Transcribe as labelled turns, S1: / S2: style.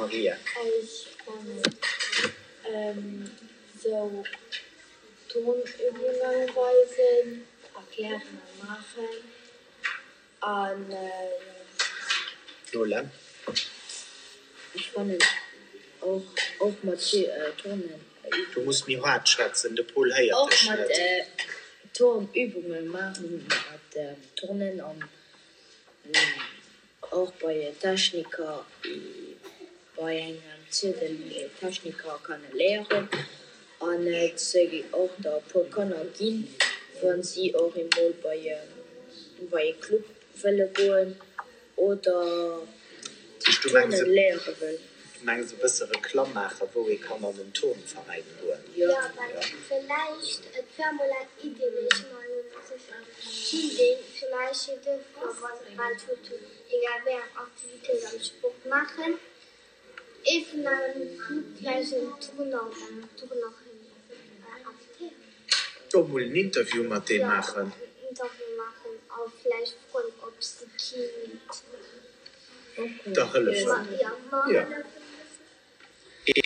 S1: Maria.
S2: Ech fannen sou Turnübungen weisen, erklären a maachen an.
S1: Lola.
S3: Ech fannen och och mat Turnen.
S1: Du muss méi haart schwätzen, de Pol héiert
S3: Och
S1: dech
S3: mat
S1: net.
S3: Turnübungen maachen, mat Turnen an Och bei Techniker, bei engem Ziedel Techniker kann e léieren an et och der e puer Kanner ginn, wann si och emol bei bei e Club wëlle goen oder Turnen léiere wëll.
S1: Du mengs e bësse Reklamm maachen, wou ee kann an en Turnveräin goen?
S2: Jo, well villäicht, et war mol eng Idee, mee ech si mer elo net sécher, kinnt een villäicht jo duerfir, well d'Schoul hunn, egal wéi eng Aktivitéit am Sport maachen, ee vun engem Club vläicht en Turner oder eng Turnerin invitéieren.
S1: Och mol en Interview mat deem maachen.
S2: Jo, en Interview maachen a vläicht froen, ob si kinnt
S1: Der hëllefen.
S2: Jo, mer hëllefen.